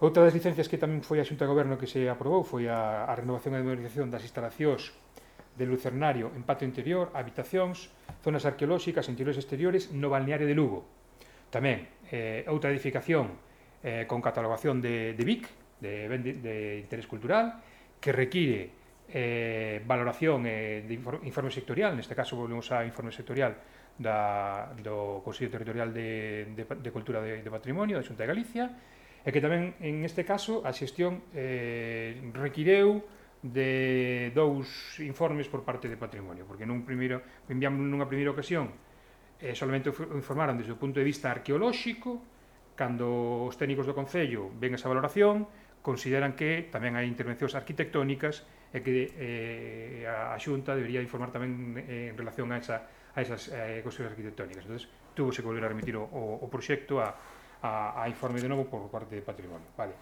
Outra das licencias que tamén foi a Xunta de Goberno que se aprobou foi a renovación e modernización das instalacións de lucernario en patio interior, habitacións, zonas arqueolóxicas, interiores e exteriores no balneario de Lugo. Tamén outra edificación con catalogación de BIC, de interés cultural, que require valoración de informe sectorial, neste caso volvemos a informe sectorial do Consello Territorial de Cultura de Patrimonio da Xunta de Galicia, e que tamén, en este caso, a xestión requireu de 2 informes por parte de Patrimonio, porque enviamos nunha primeira ocasión solamente o informaron desde o punto de vista arqueolóxico, cando os técnicos do Concello ven esa valoración, consideran que tamén hai intervencións arquitectónicas e que a Xunta debería informar tamén en relación a esas cuestións arquitectónicas. Entón, túvose que volver a remitir o proxecto a informe de novo por parte de Patrimonio. Vale.